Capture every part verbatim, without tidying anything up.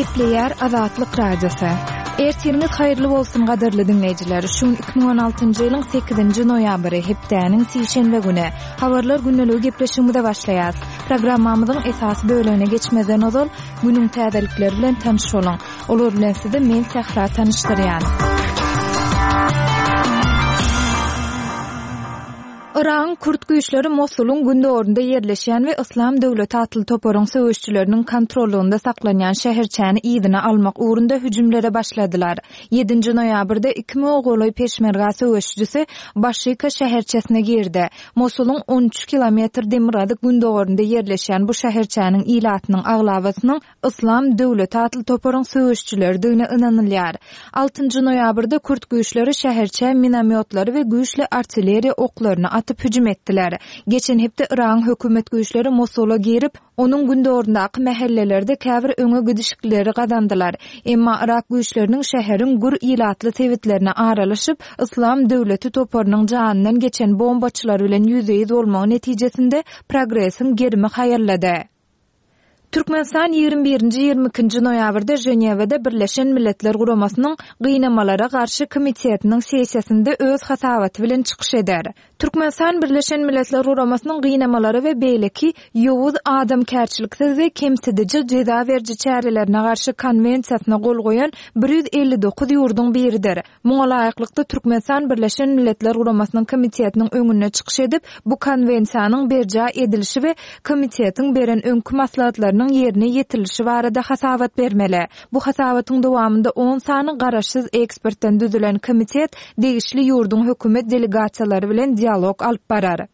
Gepleýär Azatlyk Radiosy. Ertiriňiz haýyrly bolsun gadyrly diňleýjiler. Şu gün iki müň on altynjy ýylyň sekizinji noýabry, hepdäniň sişenbe güni. Habarlar gündeligi gepleşigimize başlaýarys. Programmamyzyň esasy bölegine geçmezden ozal, günüň täzelikleri bilen tanyş boluň. Olar bilen sizi men Sähra tanyşdyrýan. Yragyň kürt güýçleri Mosulyň gündogarynda ýerleşýän we Yslam döwleti atly toparyň söweşçileriniň kontrollygynda saklanýan şäherçäni yzyna almak ugrunda hüjümlere başladylar. Ýedinji noýabrda iki müňe golaý peşmerga söweşijisi Başika şäherçesine girdi. Mosulyň on üç kilometr demirgazyk gündogarynda ýerleşýän bu şäherçäniň ilatynyň aglabasynyň Yslam döwleti atly toparyň söweşçileridigine ynanylýar. Altynjy noýabrda kürt güýçleri şäherçä minomýotlary we güýçli artilleriýa oklaryny atyp hüjüm etdiler. Geçen hepde Yragyň hökümet güýçleri Mosula girip, onuň gündogaryndaky mähellelerde käbir öňe gidişikleri gazandylar. Emma Yrak güýçleriniň şäheriň gür ilatly sebitlerine aralaşyp, Yslam döwleti toparynyň janyndan geçen bombaçylar bilen ýüzbe-ýüz bolmagy netijesinde progresiň gerimi haýallady. Türkmenistan ýigrimi birinji ýigrimi ikinji noýabrda Ženewada Birleşen Milletler Guramasynyň Gynamalara garşy komitetiniň sessiýasynda öz hasabaty bilen çykyş eder. Türkmenistan Birleşen Milletler Guramasynyň gynamalara we beýleki ýowuz adamkärçiliksiz we kemsidiji jeza beriji çärelerine garşy konwensiýasyna gol goýan bir ýüz elli dokuz ýurduň biridir. Muňa laýyklykda Türkmenistan Birleşen Milletler Guramasynyň komitetiniň öňünde çykyş edip, bu konwensiýanyň berjaý edilişi we komitetiň beren öňki maslahatlarynyň ýerine ýetirilişi barada hasabat bermeli. Bu hasabatyň dowamynda on sany garaşsyz ekspertden düzülen komitet degişli ýurduň hökümet delegasiýalary bilen dialog alyp barar.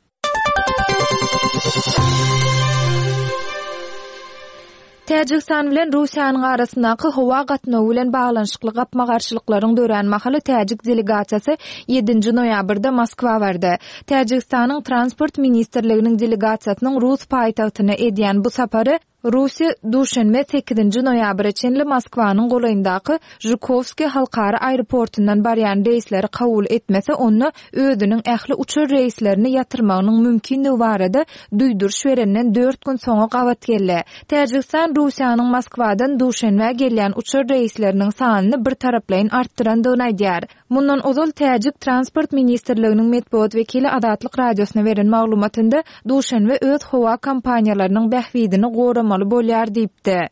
Täjigistan bilen Russiýanyň arasyndaky howa gatnawy bilen baglanyşykly gapma-garşylyklaryň dörän mahaly täjik delegasiýasy ýedinji noýabrda Moskwa bardy. Täjigistanyň Transport ministrliginiň delegasiýasynyň Rus paýtagtyna edýän bu sapary Russiýa duşenbe sekizinji noýabra çenli Moskwanyň golaýyndaky Žukovskiý halkara aeroportundan barýan reýsleri kabul etmese, onda özüniň ähli uçar reýslerini ýatyrmagynyň mümkinligi barada duýduryş berenden dört gün soňa gabat geldi. Täjigistan Russiýanyň Moskwadan duşenbä gelýän uçar reýsleriniň sanyny bir taraplaýyn artdyrandygyny aýdýar. Mundan ozal Täjik Transport Ministrliginiň metbugat wekili Azatlyk Radiosyna beren maglumatynda duşenbe öz howa kompaniýalarynyň bähbidini goramaly bolýar diýipdi.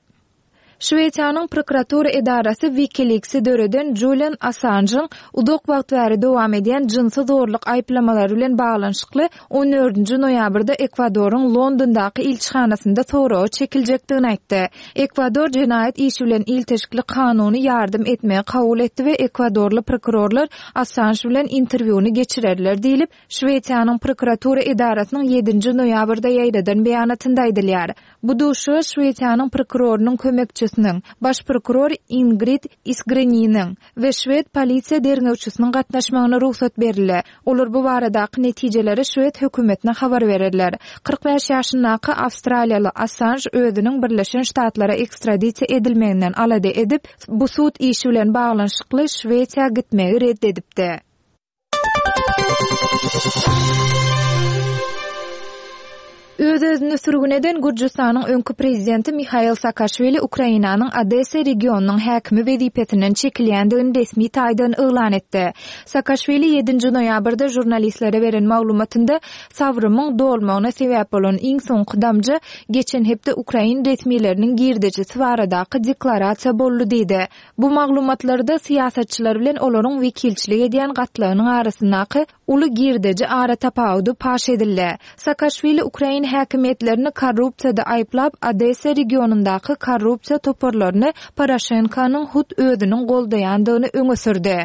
Şweýtanyň prokuratura edarasy WikiLeaks'i döreden Julian Assange'yň uzak wagt bäri dowam edýän jynsy zorluk aýyplamalary bilen baglanyşykly on dördünji noýabrda Ekwadoryň Londondaky ilçihanasynda soraga çekiljekdigini aýtdy. Ekwador jenaýat işi bilen ilteşikli kanuny ýardam etmegi kabul etdi we ekwadorly prokurorlar Assange bilen interwýuny geçirerler diýlip, Şweýtanyň prokuratura edarasynyň ýedinji noýabrda ýaýradan beýanatynda aýdylýar. Bu duşuşyga Şweýtanyň prokurorynyň kömekçisiniň, baş prokuror Ingrid Isgreniniň we şwed polisiýa derňewçisiniň gatnaşmagyna rugsat berildi. Olar bu baradaky netijeleri şwed hökümetine habar bererler. Kyrk bäş ýaşyndaky Awstraliýaly Assange özüniň Birleşen Ştatlara ekstradisiýa edilmeginden alada edip, bu sud işi bilen baglanyşykly Şweýtiýa gitmegi red edipdi. Öz-özüni sürgün eden Gürjüstanyň öňki prezidenti Mihail Saakaşwili Ukrainanyň Odessa regionynyň häkimi wezipesinden çekilýändigini resmi taýdan yglan etdi. Saakaşwili ýedinji noýabrda žurnalistlere beren maglumatynda sabrymyň dolmagyna sebäp bolan iň soňky damja geçen hepde Ukrain resmileriniň girdejisi baradaky deklarasiýa boldy diýdi. Bu maglumatlarda syýasatçylar bilen olaryň wekilçilik edýän gatlagynyň arasyndaky uly girdeji ara tapawudy paş edildi. Saakaşwili Ukrain häkimiýetlerini korrupsiýada aýyplap, Odessa regionyndaky korrupsiýa toparlaryny Poroşenkonyň hut özüniň goldaýandygyny öňe sürdi.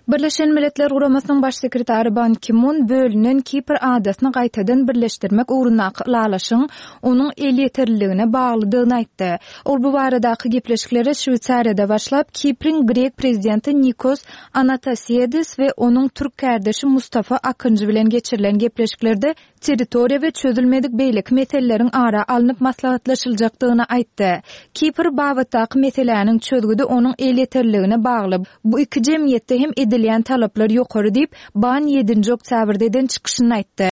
Birleşen Milletler Guramasynyň baş sekretary Ban Ki-mun bölünen Kipr adasyny gaýtadan birleşdirmek ugrundaky ylalaşygyň onuň elýeterliligine baglydygyny aýtdy. Ol bu baradaky gepleşiklere Şweýsariýada başlap, Kipriň grek prezidenti Nikos Anastasiadis we onuň türk kardeşi Mustafa Akıncı bilen geçirilen gepleşiklerde territoriýa we çözülmedik beýleki meseleleriň ara alnyp maslahatlaşyljakdygyny aýtdy. Kipr babatdaky meseläniň çözgüdi onuň elýeterliligine bagly. Bu iki jemgyýetde hem edilýän talaplar ýokary diýip, Ban ýedinji oktýabrda eden çykyşyny aýtdy.